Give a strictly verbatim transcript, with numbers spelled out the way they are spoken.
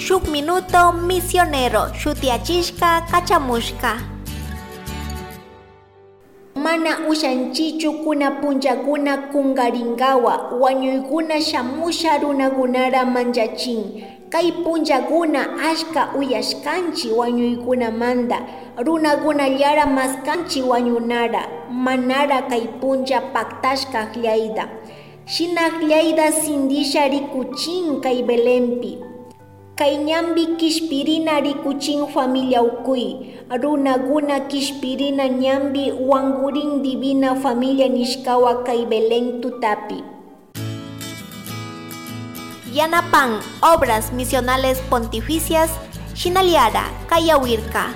Shuk Minuto Misionero shutiyachishka kachamushka. Mana ushanchichu kuna punllakuna kunkarinkawa wañuykuna shamusha runakunara manchachin. Kay punllakuna ashka uyashkanchik wañuykunamanta runakunallara maskanchik wañunara manara kay punlla paktashka akllayta. Shina akllayta sintisha rikuchin kay Belenpi. Kay ñanpi kishpirina rikuchin familia ukuy, runakuna kishpirina ñanpi wankurin divina familia nishkawa kay Belén tutapi. Yanapan Obras Misionales Pontificias, Shinaliara, Kayawirka.